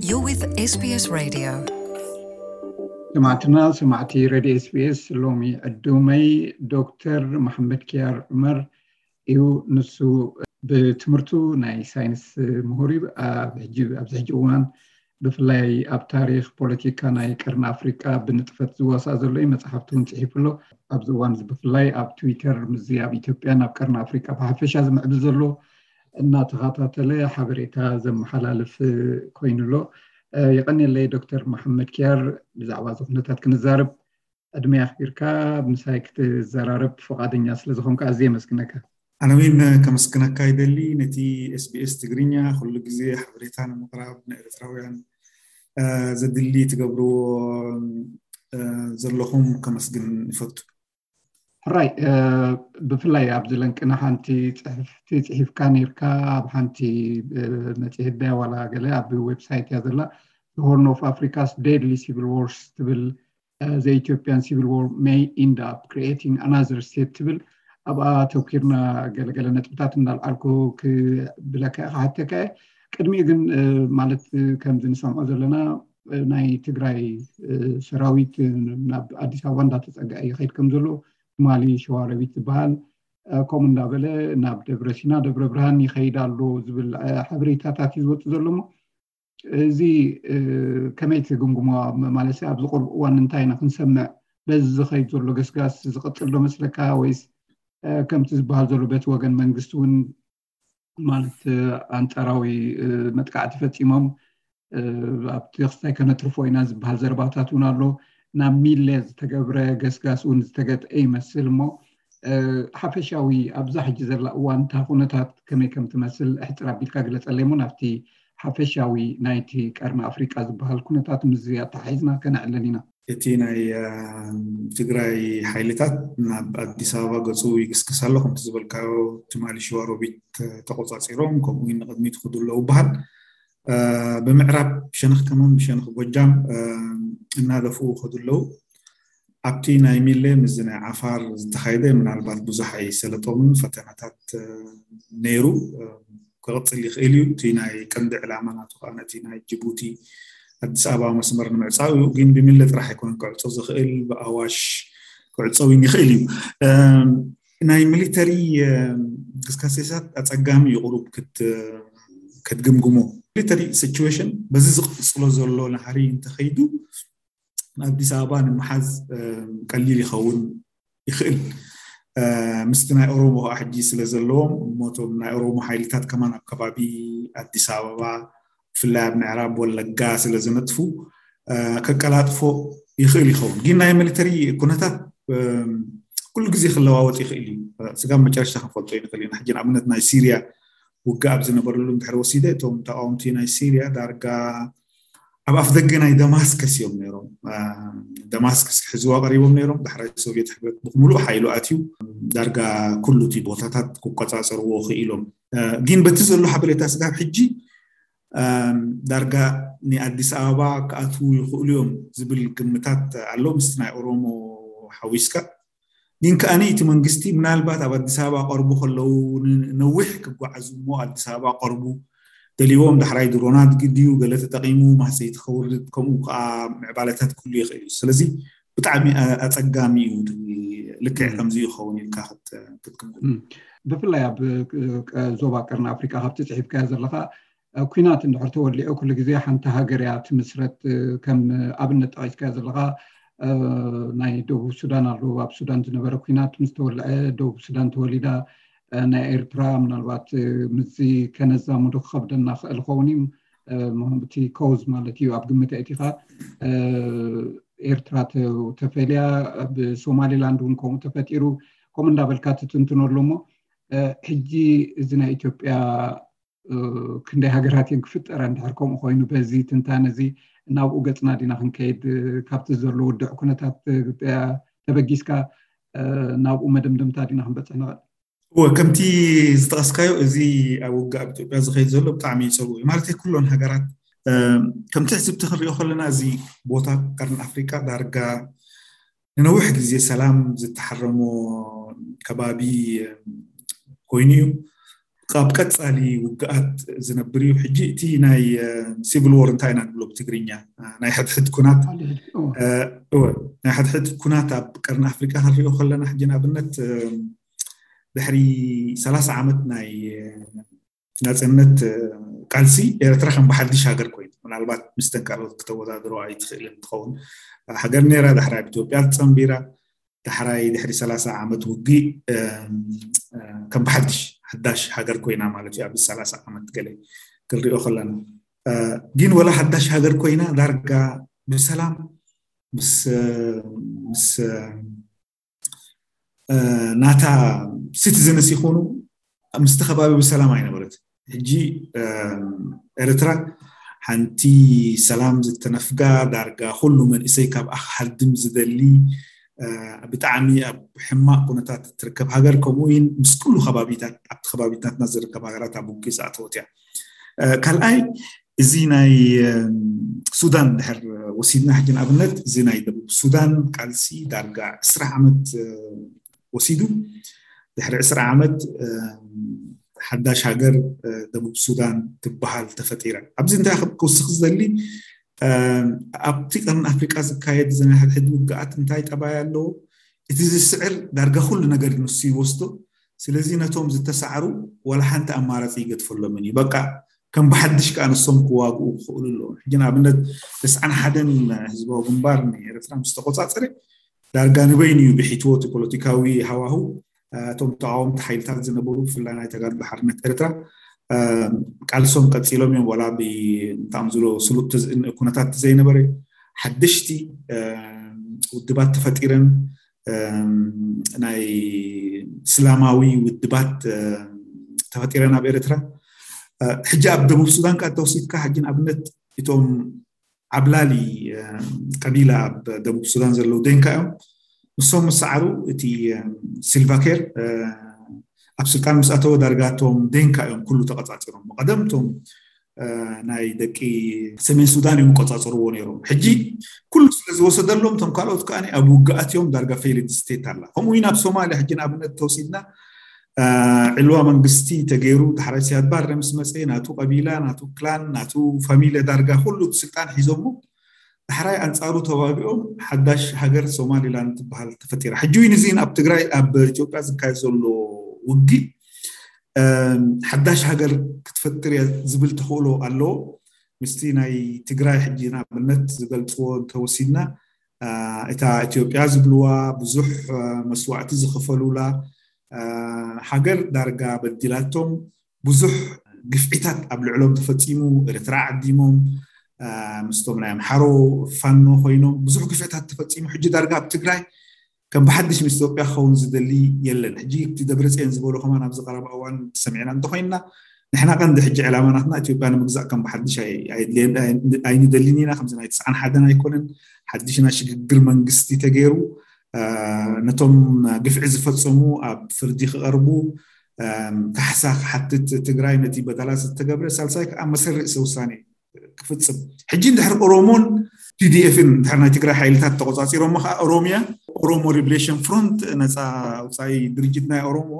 You're with SBS Radio. ሰማዕትና ሰማዕቲ ሬድዮ ኤስቢኤስ፣ ሎሚ ዕዱመይ ዶክተር መሓመድ ኪያር ዑመር እዩ። ንሱ ብትምህርቱ ናይ ሳይንስ ምሁር እዩ። ኣብ ሕጂ ኣብዚ ሕጂ እዋን ብፍላይ ኣብ ታሪኽ ፖለቲካ ናይ ቀርኒ ኣፍሪቃ ብንጥፈት ዝዋሳእ ዘሎ እዩ። መፅሓፍቲ እውን ፅሒፉ ኣሎ። ኣብዚ እዋን እዚ ብፍላይ ኣብ ትዊተር ምስዚ ኣብ ኢትዮጵያ ናብ ቀርኒ ኣፍሪቃ ብሓፈሻ ዝምዕብል ዘሎ እናተኸታተለ ሓበሬታ ዘመሓላልፍ ኮይኑ ኣሎ። የቐንየለይ ዶክተር መሓመድ ኪያር፣ ብዛዕባ እዚ ኩነታት ክንዛረብ ዕድመ ኣኽቢርካ ምሳይ ክትዘራረብ ፍቓደኛ ስለ ዝኾንካ ኣዝየ የመስግነካ። ኣነ እውን ከመስግነካ ይደሊ። ነቲ ኤስቢኤስ ትግርኛ ኩሉ ግዜ ሓበሬታ ንምቕራብ ንኤርትራውያን ዘድሊ ትገብርዎ ዘለኹም ከመስግን ይፈቱ። ሕራይ፣ ብፍላይ ኣብዚ ለንቅና ሓንቲ ጽሕፍቲ ጽሒፍካ ነርካ፣ ኣብ ሓንቲ መጽሔት ድያ ዋላ ገለ ኣብ ዌብሳይት እያ ዘላ፣ The Horn of Africa's Deadly Civil Wars ትብል፣ The Ethiopian Civil War May End Up Creating Another State ትብል፣ ኣብኣ ተኪርና ገለገለ ነጥብታት እንዳልዓልኩ ክብለካ ክሓተካ እየ። ቅድሚኡ ግን ማለት ከምዚ ንሰምዖ ዘለና ናይ ትግራይ ሰራዊት ናብ ኣዲስ ኣበባ እንዳተፀግዐ ይኸይድ ከም ዘሎ፣ ትማሊ ሸዋሮቢት ዝበሃል ከምኡ እንዳበለ ናብ ደብረ ሲና ደብረ ብርሃን ይኸይድ ኣሎ ዝብል ሓበሬታታት እዩ ዝወፅእ ዘሎ። እሞ እዚ ከመይ ትግምግሞ? ማለት ኣብዚ ቁሩብ እዋን እንታይ ኢና ክንሰምዕ? በዚ ዝኸይድ ዘሎ ገስጋስ ዝቕፅል ዶ መስለካ? ወይስ ከምቲ ዝበሃል ዘሎ በቲ ወገን መንግስቲ እውን ማለት ኣንፃራዊ መጥቃዕቲ ፈፂሞም ኣብቲ ክስታይ ከነትርፎ ኢና ዝበሃል ዘረባታት እውን ኣሎ። ናብ ሚለ ዝተገብረ ገስጋስ እውን ዝተገጥአ ይመስል። እሞ ሓፈሻዊ ኣብዛ ሕጂ ዘላ እዋን እታ ኩነታት ከመይ ከም ትመስል ሕፅር ኣቢልካ ግለፀለይ እሞ ናብቲ ሓፈሻዊ ናይቲ ቀርኒ ኣፍሪቃ ዝበሃል ኩነታት ምስዚ ኣተሓሒዝና ከነዕልል ኢና። እቲ ናይ ትግራይ ሓይልታት ናብ ኣዲስ ኣበባ ገፁ ይግስግስ ኣሎ። ከምቲ ዝበልካዮ ትማሊ ሸዋሮቢት ተቆፃፂሮም፣ ከምኡ እውን ንቅድሚት ይኸዱ ኣለዉ ይበሃል። ብምዕራብ ሸነኽ ከማን ብሸነኽ ጎጃም እናደፍኡ ይኸዱ ኣለዉ። ኣብቲ ናይ ሚሌ ምስዚ ናይ ዓፋር ዝተኻየደ ምናልባት ብዙሕ ኣይሰለጦምን፣ ፈተናታት ነይሩ፣ ክቕፅል ይኽእል እዩ። እቲ ናይ ቀንዲ ዕላማ ናቱ ከዓ ነቲ ናይ ጅቡቲ ኣዲስ ኣበባ መስመር ንምዕፃው እዩ። ግን ብሚለ ጥራሕ ኣይኮነን ክዕፆ ዝኽእል፣ ብኣዋሽ ክዕፀው ይኽእል እዩ። ናይ ሚሊተሪ ግስጋሴታት ኣፀጋሚ እዩ ቁሩብ ክትግምግሞ። ሚሊተሪ ሲቹዌሽን በዚ ዝቕፅሎ ዘሎ ናህሪ እንተኸይዱ ንኣዲስ ኣበባ ንምሓዝ ቀሊል ይኸውን ይኽእል። ምስቲ ናይ ኦሮሞ ከዓ ሕጂ ስለ ዘለዎም እሞቶም ናይ ኦሮሞ ሓይልታት ከማን ኣብ ከባቢ ኣዲስ ኣበባ ብፍላይ ኣብ ምዕራብ ወለጋ ስለ ዝነጥፉ ከቀላጥፎ ይኽእል ይኸውን። ግን ናይ ሚሊተሪ ኩነታት ኩሉ ግዜ ክለዋወጥ ይኽእል እዩ። ስጋብ መጨረሽታ ክንፈልጦ ይንኽእል ኢና። ሕጂ ንኣብነት ናይ ሲርያ ውግእ ኣብ ዝነበረሉ እንድሕር ወሲደ፣ እቶም ተቃወምቲ ናይ ሲርያ ዳርጋ ኣብ ኣፍ ደገ ናይ ደማስከስ እዮም ነይሮም። ደማስከስ ክሕዝዋ ቀሪቦም ነይሮም። ዳሕራይ ሶቪየት ሕብረት ብምሉእ ሓይሉ ኣትዩ ዳርጋ ኩሉ እቲ ቦታታት ክቆፃፀርዎ ክኢሎም። ግን በቲ ዘሎ ሓበሬታ ስጋብ ሕጂ ዳርጋ ንኣዲስ ኣበባ ክኣትዉ ይኽእሉ እዮም ዝብል ግምታት ኣሎ፣ ምስቲ ናይ ኦሮሞ ሓዊስካ። ግን ከኣኒ እቲ መንግስቲ ምናልባት ኣብ ኣዲስ ኣበባ ቀርቡ ከለዉ ነዊሕ ክጓዓዙ እሞ ኣዲስ ኣበባ ቀርቡ ደልዎም ዳሕራይ ድሮናት ግድዩ ገለ ተጠቂሙ ማህሰይቲ ከውርድ ከምኡ ከዓ ምዕባለታት ክህሉ ይኽእል እዩ። ስለዚ ብጣዕሚ ኣፀጋሚ እዩ። ልክዕ ከምዚ ይኸውን ኢልካ ክትግምግም። ብፍላይ ኣብ ዞባ ቀርኒ ኣፍሪካ ካብቲ ፅሒፍካዮ ዘለካ ኩናት እንድሕር ተወሊዑ ኩሉ ግዜ ሓንቲ ሃገር እያ ትምስረት። ከም ኣብነት ጠቂስካዮ ዘለካ ናይ ደቡብ ሱዳን ኣሎ። ኣብ ሱዳን ዝነበረ ኩናት ምስ ተወልዐ ደቡብ ሱዳን ተወሊዳ። ናይ ኤርትራ ምናልባት ምስዚ ከነዛምዶ ክኸብደና ክእል ኸውን እዩ። እቲ ኮዝ ማለት እዩ ኣብ ግምት ኣእቲኻ ኤርትራ ተፈልያ ብሶማሊላንድ እውን ከምኡ ተፈጢሩ ከምኡ እንዳበልካ ትትንትኖ ኣሎ። እሞ ሕጂ እዚ ናይ ኢትዮጵያ ክንደይ ሃገራት እየን ክፍጠራ እንድሕር ከምኡ ኮይኑ በዚ ትንታነ እዚ ናብኡ ገፅና ዲና ክንከይድ? ካብቲ ዘሎ ውድዕ ኩነታት ተበጊስካ ናብኡ መደምደምታ ዲና ክንበፅሕ ንኽእል? እወ፣ ከምቲ ዝጠቐስካዮ እዚ ኣብ ውግእ ኣብ ኢትዮጵያ ዝኸይድ ዘሎ ብጣዕሚ እዩ ፀልዎ እዩ። ማለት ኩሎን ሃገራት ከም ትሕዝብቲ ክንሪኦ ከለና እዚ ቦታ ቀርኒ ኣፍሪቃ ዳርጋ ንነዊሕ ግዜ ሰላም ዝተሓረሞ ከባቢ ኮይኑ እዩ። ካብ ቀፃሊ ውግኣት ዝነብር እዩ። ሕጂ እቲ ናይ ሲቪል ዎር እንታይ ኢና ንብሎ? ትግርኛ። ናይ ሕድሕድ ኩናት እወ፣ ናይ ሕድሕድ ኩናት ኣብ ቀርኒ ኣፍሪቃ ክንሪኦ ከለና፣ ሕጂ ንኣብነት ድሕሪ ሰላሳ ዓመት ናይ ናፅነት ቃልሲ፣ ኤርትራ ከም ብሓድሽ ሃገር ኮይኑ፣ ምናልባት ምስ ተንካሎት ክተወዳድሮ ኣይትኽእልን ትኸውን። ሃገር ነይራ፣ ዳሕራይ ኣብ ኢትዮጵያ ተፀንቢራ፣ ዳሕራይ ድሕሪ ሰላሳ ዓመት ውግእ ከም ብሓድሽ ሓዳሽ ሃገር ኮይና ማለት እዩ። ኣብዚ ሰላሳ ዓመት ገለ ክንሪኦ ከለና፣ ግን ወላ ሓዳሽ ሃገር ኮይና፣ ዳርጋ ብሰላም ምስ ምስ ናታ ሲቲዝንስ ይኹኑ ምስቲ ከባቢ ብሰላም ኣይነበረት። ሕጂ ኤርትራ ሓንቲ ሰላም ዝተነፍጋ፣ ዳርጋ ኩሉ መንእሰይ ካብ ኣኻልድም ዝደሊ፣ ብጣዕሚ ኣብ ሕማቕ ኩነታት እትርከብ ሃገር፣ ከምኡ እውን ምስ ኩሉ ከባቢታት፣ ኣብቲ ከባቢታትና ዝርከብ ሃገራት ኣብ ውግእ ዝኣተወት እያ። ካልኣይ፣ እዚ ናይ ሱዳን ድሕር ወሲድና፣ ሕጂ ንኣብነት እዚ ናይ ደቡብ ሱዳን ቃልሲ ዳርጋ ዕስራ ዓመት ወሲዱ፣ ድሕሪ ዕስራ ዓመት ሓዳሽ ሃገር ደቡብ ሱዳን ትበሃል ተፈጢራ። ኣብዚ እንታይ ክውስኽ ዝደሊ፣ ኣብቲ ቀርኒ ኣፍሪቃ ዝካየድ ዝናይ ሕድሕድ ውግኣት እንታይ ጠባይ ኣለዎ? እቲ ዝስዕር ዳርጋ ኩሉ ነገር ንሱ ይወስዶ። ስለዚ ነቶም ዝተሳዕሩ ዋላ ሓንቲ ኣማራፂ ይገድፈሎምን እዩ። በቃ ከም ብሓድሽ ከዓ ንሶም ክዋግኡ ክኽእሉ ኣለዎም። ሕጂ ንኣብነት ተስዓን ሓደን ህዝባዊ ግንባር ንኤርትራ ምስ ተቆፃፀረ፣ ዳርጋ ንበይኑ እዩ ብሒትዎ እቲ ፖለቲካዊ ሃዋሁ። እቶም ተቃወምቲ ሓይልታት ዝነበሩ፣ ብፍላይ ናይ ተጋድሎ ሓርነት ኤርትራ፣ ቃልሶም ቀፂሎም እዮም። ዋላ ብጣዕሚ ዝሎ ስሉጥ ኩነታት ዘይነበረ፣ ሓደሽቲ ውድባት ተፈጢረን፣ ናይ እስላማዊ ውድባት ተፈጢረን ኣብ ኤርትራ። ሕጂ ኣብ ደቡብ ሱዳን ከዓ ተወሲድካ፣ ሕጂ ንኣብነት እቶም ዓብላሊ ቀቢላ ኣብ ደቡብ ሱዳን ዘለዉ ደንካ እዮም። ንሶም ምስ ሰዓሩ፣ እቲ ሲልቫኬር ኣብ ስልጣን ምስ ኣተወ፣ ዳርጋ እቶም ደንካ እዮም ኩሉ ተቐጻጺሮም። ብቐደም እቶም ናይ ደቂ ሰሜን ሱዳን እዮም ቆጻጽርዎ ነይሮም። ሕጂ ኩሉ ስለ ዝወሰደሎም፣ እቶም ካልኦት ከኣ ኣብ ውግኣት እዮም፣ ዳርጋ ፌይልድ ስቴት ኣላ። ከምኡ እውን ኣብ ሶማልያ ሕጂ ንኣብነት ተወሲድና፣ ዕልዋ መንግስቲ ተገይሩ፣ ዳሕራይ ሲያድ ባረ ምስ መጸ፣ ናቱ ቀቢላ፣ ናቱ ክላን፣ ናቱ ፋሚልያ፣ ዳርጋ ኩሉ ስልጣን ሒዞሞ፣ ዳሕራይ ኣንጻሩ ተዋጊኦም ሓዳሽ ሃገር ሶማሊላንድ ትበሃል ተፈጢራ። ሕጂ እውን እዚ ኣብ ትግራይ፣ ኣብ ኢትዮጵያ ዝካየድ ዘሎ ውግእ ሓዳሽ ሃገር ክትፈጥር እያ ዝብል ተኽእሎ ኣለዎ። ምስቲ ናይ ትግራይ ሕጂ ንኣብነት ዝገልፅዎ እንተወሲድና፣ እታ ኢትዮጵያ ዝብልዋ ብዙሕ መስዋዕቲ ዝኸፈሉላ ሃገር ዳርጋ በዲላቶም፣ ብዙሕ ግፍዒታት ኣብ ልዕሎም ተፈፂሙ፣ ኤርትራ ዓዲሞም፣ ምስቶም ናይ ኣምሓሮ ፋኖ ኮይኖም ብዙሕ ግፍዕታት ተፈፂሙ። ሕጂ ዳርጋ ኣብ ትግራይ ከም ብሓድሽ ምስ ኢትዮጵያ ክኸውን ዝደሊ የለን። ሕጂ እቲ ደብረፅዮን ዝበሎ ከማን ኣብዚ ቀረባ እዋን ሰሚዕና እንተኮይንና፣ ንሕና ቀንዲ ሕጂ ዕላማ ናትና ኢትዮጵያ ንምግዛእ ከም ብሓድሽ ኣይንደልን ኢና። ከምዚ ናይ ትስዓን ሓደን ኣይኮነን። ሓድሽ ናይ ሽግግር መንግስቲ ተገይሩ፣ ነቶም ግፍዒ ዝፈፀሙ ኣብ ፍርዲ ክቐርቡ፣ ካሕሳ ክሓትት ትግራይ ነቲ በደላት ዝተገብረ፣ ሳልሳይ ከዓ መሰል ርእሰ ውሳኔ ክፍፅም። ሕጂ እንድሕር ኦሮሞን ቲ ዲ ኤፍን እንድሕር ናይ ትግራይ ሓይልታት ተቆፃፂሮሞ ከዓ ኦሮሚያ፣ ኦሮሞ ሊብሬሽን ፍሮንት፣ ነፃ ኣውፃኢ ድርጅት ናይ ኦሮሞ፣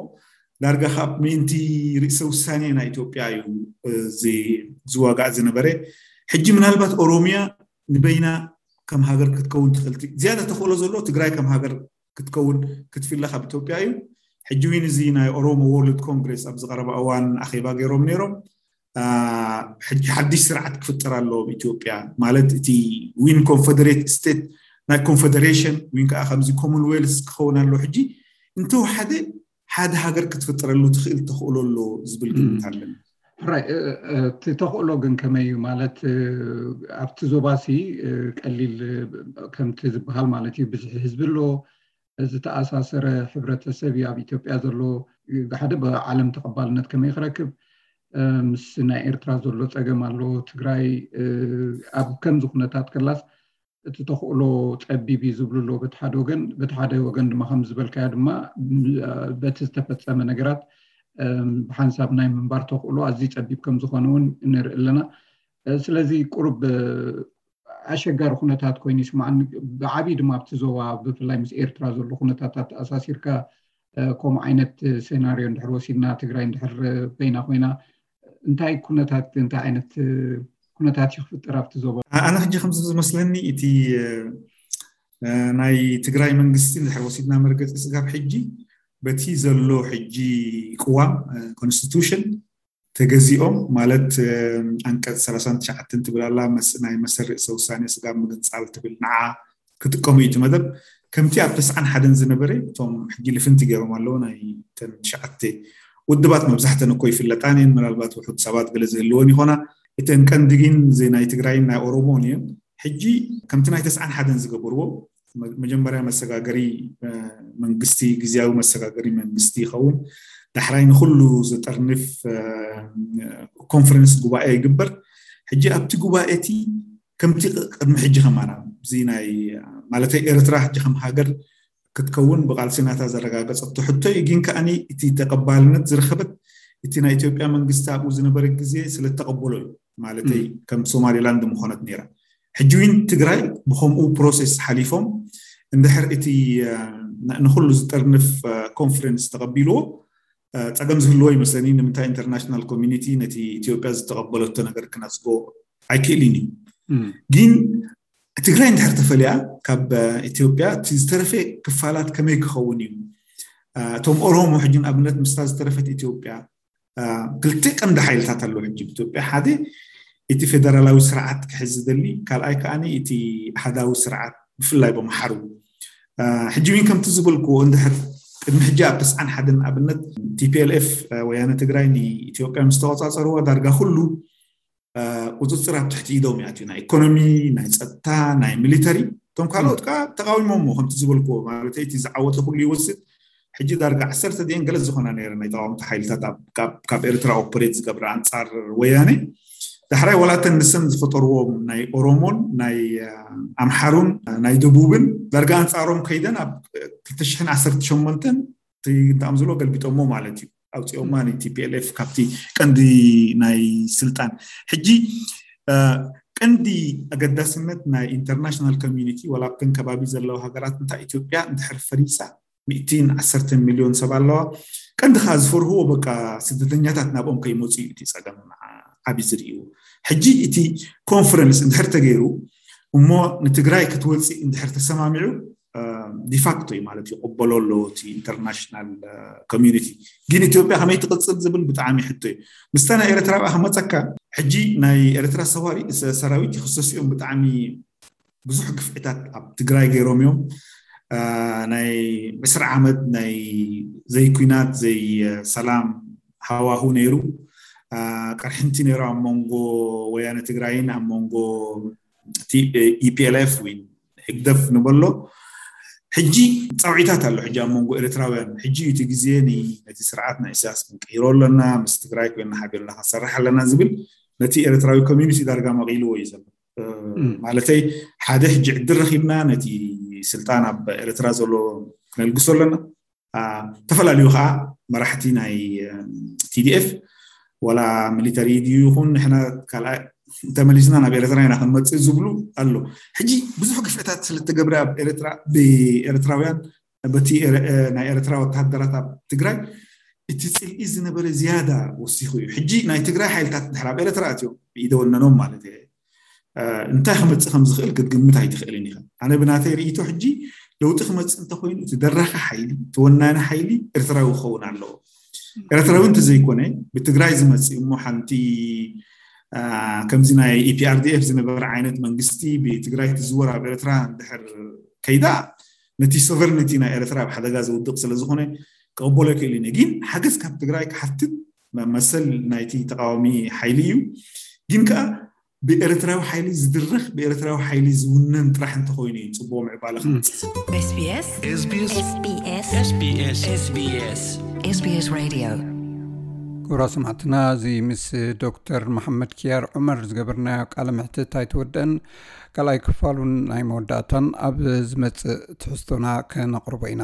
ዳርጋ ካብ ምእንቲ ርእሰ ውሳኔ ናይ ኢትዮጵያ እዩ ዝዋጋእ ዝነበረ። ሕጂ ምናልባት ኦሮሚያ ንበይና ከም ሃገር ክትከውን ትኽእል። ዝያዳ ተኽእሎ ዘሎ ትግራይ ከም ሃገር ክትከውን ክትፍለ ካብ ኢትዮጵያ እዩ። ሕጂ እውን እዚ ናይ ኦሮሞ ወርልድ ኮንግሬስ ኣብ ዝቀረበ እዋን ኣኼባ ገይሮም ነይሮም። ሕጂ ሓድሽ ስርዓት ክፍጠር ኣለዎ ኣብ ኢትዮጵያ፣ ማለት እቲ ዊን ኮንፈደሬት ስቴት ናይ ኮንፈደሬሽን ዊን ከዓ ከምዚ ኮመንዌልስ ክኸውን ኣሎ። ሕጂ እንተወሓደ ሓደ ሃገር ክትፍጠረሉ ትኽእል ተኽእሎ ኣሎ ዝብል ግምት ኣለኒ። ራይ እቲ ተኽእሎ ግን ከመይ እዩ? ማለት ኣብቲ ዞባሲ ቀሊል ከምቲ ዝበሃል ማለት እዩ፣ ብዙሕ ህዝቢ ኣሎ፣ ዝተኣሳሰረ ሕብረተሰብ እዩ ኣብ ኢትዮጵያ ዘሎ። ሓደ ብዓለም ተቐባልነት ከመይ ክረክብ፣ ምስ ናይ ኤርትራ ዘሎ ፀገም ኣሎ። ትግራይ ኣብ ከምዚ ኩነታት ከላስ እቲ ተኽእሎ ፀቢብ እዩ ዝብሉ ኣለዉ በቲ ሓደ ወገን። በቲ ሓደ ወገን ድማ ከም ዝበልካዮ ድማ በቲ ዝተፈፀመ ነገራት ብሓንሳብ ናይ ምንባር ተኽእሎ ኣዝዩ ፀቢብ ከም ዝኾነ እውን ንርኢ ኣለና። ስለዚ ቁሩብ ኣሸጋሪ ኩነታት ኮይኑ ይስማዓኒ። ብዓብዪ ድማ ኣብቲ ዞባ ብፍላይ ምስ ኤርትራ ዘሎ ኩነታት ኣተኣሳሲርካ ከምኡ ዓይነት ሴናርዮ እንድሕር ወሲድና፣ ትግራይ እንድሕር በይና ኮይና እንታይ ኩነታት እንታይ ዓይነት ኩነታት እዩ ክፍጠር ኣብቲ ዞባ። ኣነ ሕጂ ከምዚ ዝመስለኒ እቲ ናይ ትግራይ መንግስቲ እንድሕር ወሲድና መርገፂ ስጋብ ሕጂ በቲ ዘሎ ሕጂ ቅዋም ኮንስቲቱሽን ተገዚኦም ማለት ኣንቀፅ ሰላሳን ትሽዓተን ትብል ኣላ ናይ መሰል ርእሰ ውሳኔ ስጋብ ምግንፃል ትብል ንዓ ክጥቀሙ እዩ እቲ መደብ ከምቲ ኣብ ተስዓን ሓደን ዝነበረ እቶም ሕጂ ልፍንቲ ገይሮም ኣለዉ ናይ ተን ትሽዓተ ውድባት መብዛሕተን እኮ ይፍለጣን እየን ምናልባት ውሑድ ሰባት ገለ ዝህልወን ይኾና እተን ቀንዲ ግን ናይ ትግራይን ናይ ኦሮሞን እየን ሕጂ ከምቲ ናይ ተስዓን ሓደን ዝገበርዎ መጀመርያ መሰጋገሪ መንግስቲ ግዜያዊ መሰጋገሪ መንግስቲ ይኸውን ዳሕራይ ንኩሉ ዝጠርንፍ ኮንፈረንስ ጉባኤ ይግበር ሕጂ ኣብቲ ጉባኤ እቲ ከምቲ ቅድሚ ሕጂ ከማና እዚ ናይ ማለተይ ኤርትራ ሕጂ ከም ሃገር ክትከውን ብቃልሲ ናታ ዘረጋገፀቶ ሕቶ እዩ ግን ከዓኒ እቲ ተቀባልነት ዝረኸበት እቲ ናይ ኢትዮጵያ መንግስቲ ኣብኡ ዝነበረ ግዜ ስለተቀበሎ እዩ ማለተይ ከም ሶማሊላንድ ምኾነት ነይራ ሕጂ እውን ትግራይ ብከምኡ ፕሮሴስ ሓሊፎም እንድሕር እቲ ንኩሉ ዝጠርንፍ ኮንፈረንስ ተቀቢልዎ ፀገም ዝህልዎ ይመስለኒ ንምንታይ ኢንተርናሽናል ኮሚኒቲ ነቲ ኢትዮጵያ ዝተቀበለቶ ነገር ክነፅጎ ኣይክእልን እዩ ግን ትግራይ እንድሕር ተፈሊያ ካብ ኢትዮጵያ እቲ ዝተረፈ ክፋላት ከመይ ክኸውን እዩ እቶም ኦሮሞ ሕጂ ንኣብነት ምስታ ዝተረፈት ኢትዮጵያ ክልተ ቀንዲ ሓይልታት ኣለዉ ሕጂ ኢትዮጵያ ሓደ እቲ ፌደራላዊ ስርዓት ክሕዝ ዝደሊ ካልኣይ ከዓ እቲ ኣሃዳዊ ስርዓት ብፍላይ በምሓሩ ሕጂ እውን ከምቲ ዝበልክዎ እንድሕር ቅድሚ ሕጂ ኣብ ተስዓን ሓደን ኣብነት ቲፒኤልኤፍ ወያነ ትግራይ ንኢትዮጵያ ምስ ተቆፃፀርዋ ዳርጋ ኩሉ ቁፅፅር ኣብ ትሕቲ ኢዶም እያ ናይ ኢኮኖሚ ናይ ፀጥታ ናይ ሚሊተሪ እቶም ካልኦት ከዓ ተቃዊሞሞ ከምቲ ዝበልክዎ ማለት እቲ ዝዓወተ ኩሉ ይወስድ ሕጂ ዳርጋ ዓሰርተ ድን ገለ ዝኾና ነረ ናይ ተቃወምቲ ሓይልታት ካብ ኤርትራ ኦፐሬት ዝገብረ ኣንፃር ወያነ ዳሕራይ ዋላተን ንሰን ዝፈጠርዎም ናይ ኦሮሞን ናይ ኣምሓሩን ናይ ደቡብን ዳርጋ ኣንፃሮም ከይደን ኣብ ክልተ ሽሕን ዓሰርተ ሸሞንተን እንታይ ዝብሎ ገልቢጦሞ ማለት እዩ ኣውፅኦማ ቲፒኤልኤፍ ካብቲ ቀንዲ ናይ ስልጣን ሕጂ ቀንዲ ኣገዳስነት ናይ ኢንተርናሽናል ኮሚኒቲ ዋላ ኣብተን ከባቢ ዘለዋ ሃገራት እንታይ ኢትዮጵያ እንድሕር ፈሪሳ ሚእትን ዓሰርተ ሚልዮን ሰብ ኣለዋ ቀንዲ ከዓ ዝፈርህዎ በቃ ስደተኛታት ናብኦም ከይመፁ እዩ እቲ ፀገም ዓብዪ ዝርእይዎ ሕጂ እቲ ኮንፈረንስ እንድሕር ተገይሩ እሞ ንትግራይ ክትወፅእ እንድሕር ተሰማሚዑ ዲፋክቶ እዩ ማለት ይቕበሎ ኣሎ እቲ ኢንተርናሽናል ኮሚኒቲ ግን ኢትዮጵያ ከመይ ትቕፅል ዝብል ብጣዕሚ ሕቶ እዩ ምስታ ናይ ኤርትራ ብኣ ክመፀካ ሕጂ ናይ ኤርትራ ሰራዊት ይክሰስ እዮም ብጣዕሚ ብዙሕ ግፍዕታት ኣብ ትግራይ ገይሮም እዮም ናይ ዕስራ ዓመት ናይ ዘይኩናት ዘይሰላም ሃዋሁ ነይሩ ቅርሕንቲ ነይሩ ኣብ መንጎ ወያነ ትግራይን ኣብ መንጎ ኢፒኤልኤፍ ወይ ህግደፍ ንበሎ ሕጂ ፀውዒታት ኣሎ ሕጂ ኣብ መንጎ ኤርትራውያን ሕጂ እቲ ግዜ ነቲ ስርዓት ናይ ኢሳያስ ክንቀይሮ ኣለና ምስ ትግራይ ኮይና ሓቢርና ክንሰርሕ ኣለና ዝብል ነቲ ኤርትራዊ ኮሚኒቲ ዳርጋ መቒልዎ እዩ ዘሎ ማለተይ ሓደ ሕጂ ዕድል ረኪብና ነቲ ስልጣን ኣብ ኤርትራ ዘሎ ክነልግሶ ኣለና ዝተፈላለዩ ከዓ መራሕቲ ናይ ቲዲኤፍ ወላ ሚሊተሪ ድዩ ይኹን ንሕና ካልኣይ ተመሊስና ናብ ኤርትራ ኢና ክንመፅእ ዝብሉ ኣሎ ሕጂ ብዙሕ ግፍዕታት ስለተገብረ ኣብ ኤርትራ ብኤርትራውያን በቲ ናይ ኤርትራ ወተሃደራት ኣብ ትግራይ እቲ ፅልኢ ዝነበረ ዝያዳ ወሲኹ እዩ ሕጂ ናይ ትግራይ ሓይልታት ድሕር ኣብ ኤርትራ ኣትዮም ብኢደ ወነኖም ማለት እየ እንታይ ክመፅእ ከም ዝኽእል ክትግምት ኣይትኽእልን ኢኻ ኣነ ብናተይ ርእይቶ ሕጂ ለውጢ ክመፅእ እንተኮይኑ እቲ ደራኺ ሓይሊ እቲ ወናኒ ሓይሊ ኤርትራዊ ክኸውን ኣለዎ ኤርትራዊ እንተዘይኮነ ብትግራይ ዝመፅእ እሞ ሓንቲ ከምዚ ናይ ኢፒኣርዲኤፍ ዝነበረ ዓይነት መንግስቲ ብትግራይ ትዝወር ኣብ ኤርትራ እንድሕር ከይዳ ነቲ ሶቨርኒቲ ናይ ኤርትራ ኣብ ሓደጋ ዘውድቕ ስለዝኾነ ክቕበሎ ይክእል እዩ ግን ሓገዝ ካብ ትግራይ ክሓትት መሰል ናይቲ ተቃዋሚ ሓይሊ እዩ ግን ከዓ ብኤርትራዊ ሓይሊ ዝድረኽ ብኤርትራዊ ሓይሊ ዝውነን ጥራሕ እንተኮይኑ እዩ ፅቡቅ ምዕባለ ክመፅእ SBS SBS SBS SBS SBS Radio ክቡራ ሰማዕትና እዚ ምስ ዶክተር መሓመድ ኪያር ዑመር ዝገበርናዮ ቃለ ምሕትት ኣይተወደአን ካልኣይ ክፋሉን ናይ መወዳእታን ኣብ ዝመፅእ ትሕዝቶና ከነቕርቦ ኢና